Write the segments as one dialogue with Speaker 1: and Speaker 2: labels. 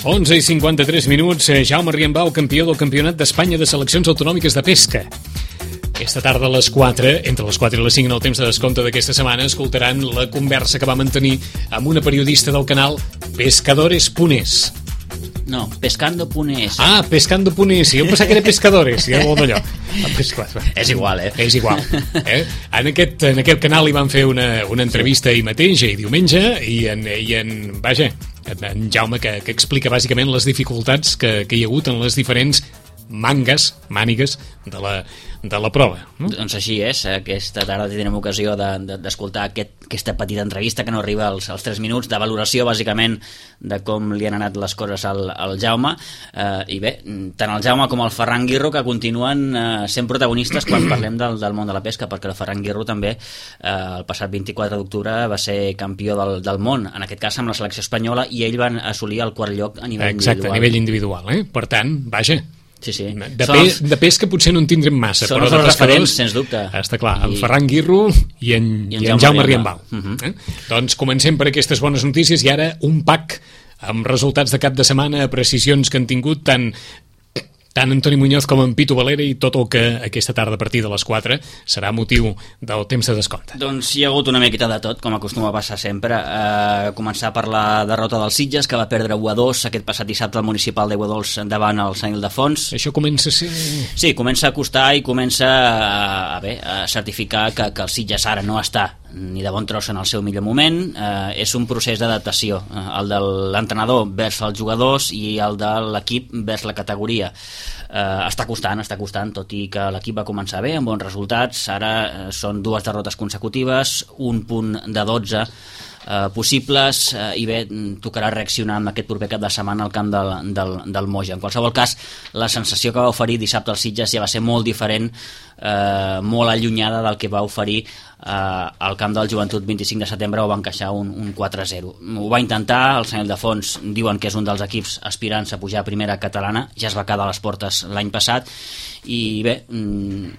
Speaker 1: 11:53, Jaume Riembau, campió del Campionat d'Espanya de Seleccions Autonòmiques de Pesca. Aquesta tarda a les 4, entre les 4 i les 5, en el temps de descompte d'aquesta setmana, escoltaran la conversa que va mantenir amb una periodista del canal Pescadores.es.
Speaker 2: No, Pescando.es.
Speaker 1: Ah, Pescando.es. Jo em pensava que era Pescadores. Ja vol d'allò.
Speaker 2: És igual,
Speaker 1: És igual. En aquest canal hi van fer una entrevista ahir mateix, ahir diumenge, i en Jaume, que explica bàsicament les dificultats que hi ha hagut en les diferents mànigues de la prova. No?
Speaker 2: Doncs així és. Aquesta tarda tindrem ocasió d'escoltar aquesta petita entrevista que no arriba als 3 minuts, de valoració bàsicament de com li han anat les coses al Jaume, i bé, tant el Jaume com el Ferran Guirro, que continuen sent protagonistes quan parlem del món de la pesca, perquè el Ferran Guirro també el passat 24 d'octubre va ser campió del món, en aquest cas amb la selecció espanyola, i ell van assolir el quart lloc a nivell individual.
Speaker 1: Exacte, a nivell individual. Per tant, vaja,
Speaker 2: sí.
Speaker 1: De pesca potser no en tindrem massa,
Speaker 2: són els referents, sens dubte.
Speaker 1: Està clar, el Ferran Guirro i en Jaume Riembau. Doncs comencem per aquestes bones notícies, i ara un pack amb resultats de cap de setmana, precisions que han tingut tant Antoni Muñoz com en Pitu Valera, i tot el que aquesta tarda a partir de les 4 serà motiu del temps de descompte.
Speaker 2: Doncs hi ha hagut una miqueta de tot, com acostuma a passar sempre. Començar per la derrota del Sitges, que va perdre 1-2 aquest passat dissabte al municipal d'Aiguadols davant el Sant Ildefons.
Speaker 1: Això comença a ser...
Speaker 2: Sí, comença a costar i comença a certificar que el Sitges ara no està ni de bon tros en el seu millor moment. És un procés d'adaptació, el de l'entrenador vers els jugadors i el de l'equip vers la categoria. Està costant, tot i que l'equip va començar bé, amb bons resultats. Ara són 2 derrotes consecutives, un punt de 12 possibles, i bé, tocarà reaccionar amb aquest proper cap de setmana al camp del Moja. En qualsevol cas, la sensació que va oferir dissabte al Sitges ja va ser molt diferent, molt allunyada del que va oferir al camp del Joventut 25 de setembre, on va encaixar un 4-0. Ho va intentar, el Sant Ildefons diuen que és un dels equips aspirants a pujar a primera catalana, ja es va quedar a les portes l'any passat, i bé,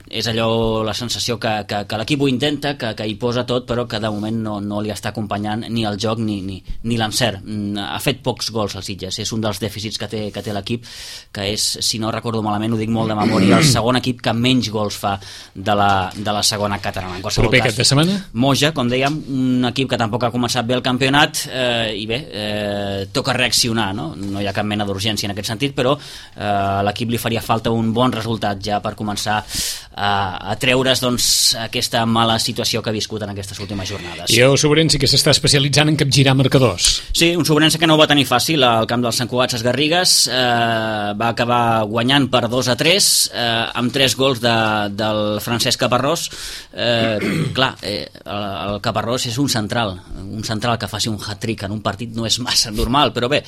Speaker 2: és allò, la sensació que l'equip ho intenta, que hi posa tot, però que de moment no li està acompanyant ni el joc ni l'encert. Ha fet pocs gols al Sitges, és un dels dèficits que té l'equip, que és, si no recordo malament, ho dic molt de memòria, el segon equip que menys gols fa de la segona catalana. En qualsevol cas,
Speaker 1: de setmana?
Speaker 2: Moja, com dèiem, un equip que tampoc ha començat bé el campionat, i bé, toca reaccionar, no hi ha cap mena d'urgència en aquest sentit, però a l'equip li faria falta un bon resultat ja per començar a treure's aquesta mala situació que ha viscut en aquestes últimes jornades.
Speaker 1: I el Sobrense, que s'està especialitzant en capgirar marcadors.
Speaker 2: Sí, un Sobrense que no ho va tenir fàcil al camp dels Sant Cugat Ses Garrigues, va acabar guanyant per 2-3, amb 3 gols del Francesc Caparrós. Clar, el Caparrós és un central que faci un hat-trick en un partit no és massa normal, però bé,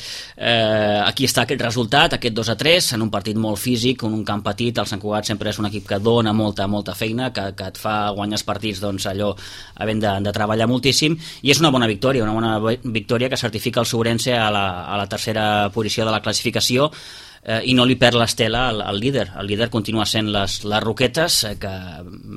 Speaker 2: aquí està aquest resultat, aquest 2-3, en un partit molt físic, en un camp petit. El Sant Cugat sempre és un equip que dona molta feina, que et fa guanyar els partits allò havent de treballar moltíssim, i és una bona victòria que certifica el Sobrense a la tercera posició de la classificació, i no li perd l'estela al líder. El líder continua sent les Roquetes, que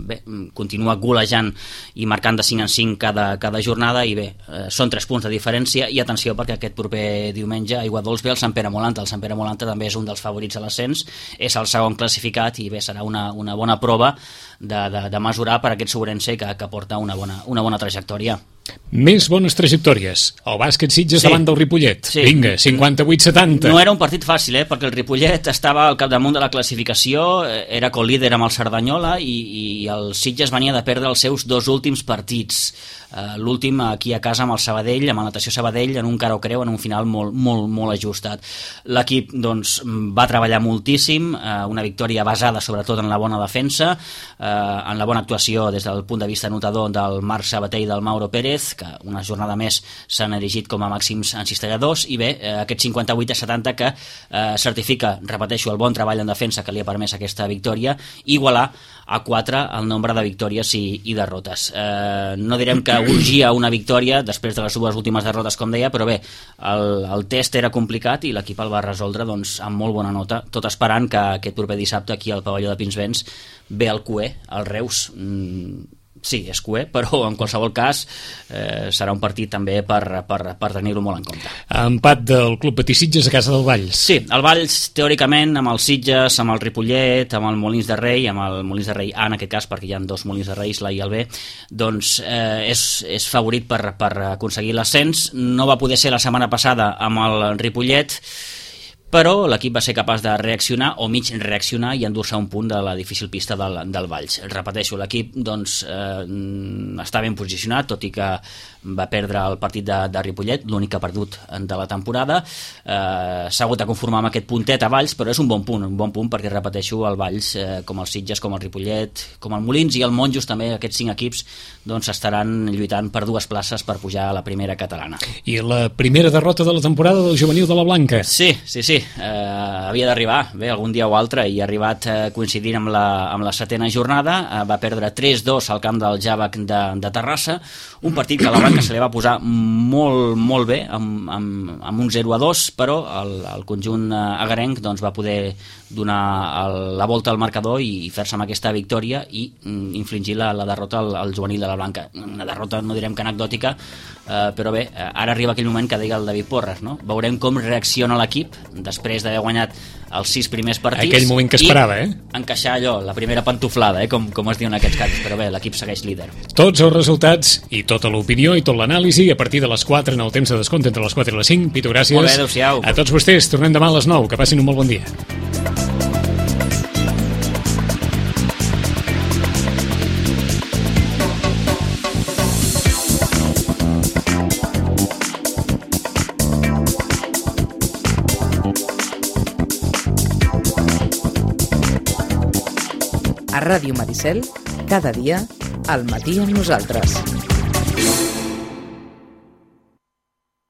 Speaker 2: bé, continua golejant i marcant de 5 en 5 cada jornada, i bé, són 3 punts de diferència. I atenció, perquè aquest proper diumenge a Aiguadols ve el Sant Pere Molanta. El Sant Pere Molanta també és un dels favorits a l'ascens, és el segon classificat, i bé, serà una bona prova de mesurar per aquest Sobrense que porta una bona trajectòria.
Speaker 1: Més bones trajectòries. El bàsquet Sitges davant del Ripollet.
Speaker 2: Sí.
Speaker 1: Vinga, 58-70.
Speaker 2: No era un partit fàcil, perquè el Ripollet estava al capdamunt de la classificació, era colíder amb el Cerdanyola, i el Sitges venia de perdre els seus 2 últims partits. L'últim aquí a casa amb el Sabadell, amb el Natació Sabadell, en un cara o creu, en un final molt ajustat. L'equip va treballar moltíssim, una victòria basada sobretot en la bona defensa, en la bona actuació des del punt de vista anotador del Marc Sabater i del Mauro Pérez, que una jornada més s'han erigit com a màxims encistelladors, i bé, aquest 58-70 que certifica, repeteixo, el bon treball en defensa que li ha permès aquesta victòria, igualar a 4 el nombre de victòries i derrotes. No direm que urgia una victòria després de les 2 últimes derrotes, com deia, però bé, el test era complicat i l'equip el va resoldre amb molt bona nota, tot esperant que aquest proper dissabte aquí al pavelló de Pinsbens ve el Cué, el Reus, sí, és cué, però en qualsevol cas serà un partit també per tenir-ho molt en compte.
Speaker 1: Empat del Club Patí Sitges a casa del Valls.
Speaker 2: Sí, el Valls, teòricament, amb els Sitges, amb el Ripollet, amb el Molins de Rei, amb el Molins de Rei A en aquest cas, perquè hi ha 2 Molins de Rei, l'A i el B, doncs és favorit per aconseguir l'ascens. No va poder ser la setmana passada amb el Ripollet, però l'equip va ser capaç de reaccionar o mig reaccionar i endur-se un punt de la difícil pista del Valls. Repeteixo, l'equip doncs, està ben posicionat, tot i que va perdre el partit de Ripollet, l'únic que ha perdut de la temporada. S'ha hagut de conformar amb aquest puntet a Valls, però és un bon punt perquè, repeteixo, el Valls, com el Sitges, com el Ripollet, com el Molins i el Monjos, també aquests 5 equips doncs, estaran lluitant per 2 places per pujar a la primera catalana.
Speaker 1: I la primera derrota de la temporada del juvenil de la Blanca.
Speaker 2: Sí. Havia d'arribar, bé, algun dia o altre, i ha arribat coincidint amb la 7ª jornada. Va perdre 3-2 al camp del Jàvec de Terrassa, un partit que a la Blanca se li va posar molt bé, amb un 0-2, però el conjunt agarenc doncs, va poder donar la volta al marcador i fer-se amb aquesta victòria i infligir la derrota al juvenil de la Blanca. Una derrota, no direm que anecdòtica, però bé, ara arriba aquell moment que deia el David Porres, no? Veurem com reacciona l'equip després d'haver guanyat els 6 primers partits.
Speaker 1: Aquell moment que esperava,
Speaker 2: i encaixar allò, la primera pantuflada, com es diu en aquests casos, però bé, l'equip segueix líder.
Speaker 1: Tots els resultats i tota l'opinió i tot l'anàlisi a partir de les 4 en el temps de descompte entre les 4 i les 5. Pitu, gràcies.
Speaker 2: Molt bé, adéu-siau.
Speaker 1: A tots vostès, tornem demà a les 9. Que passin un molt bon dia.
Speaker 3: A Ràdio Maricel, cada dia, al matí amb nosaltres.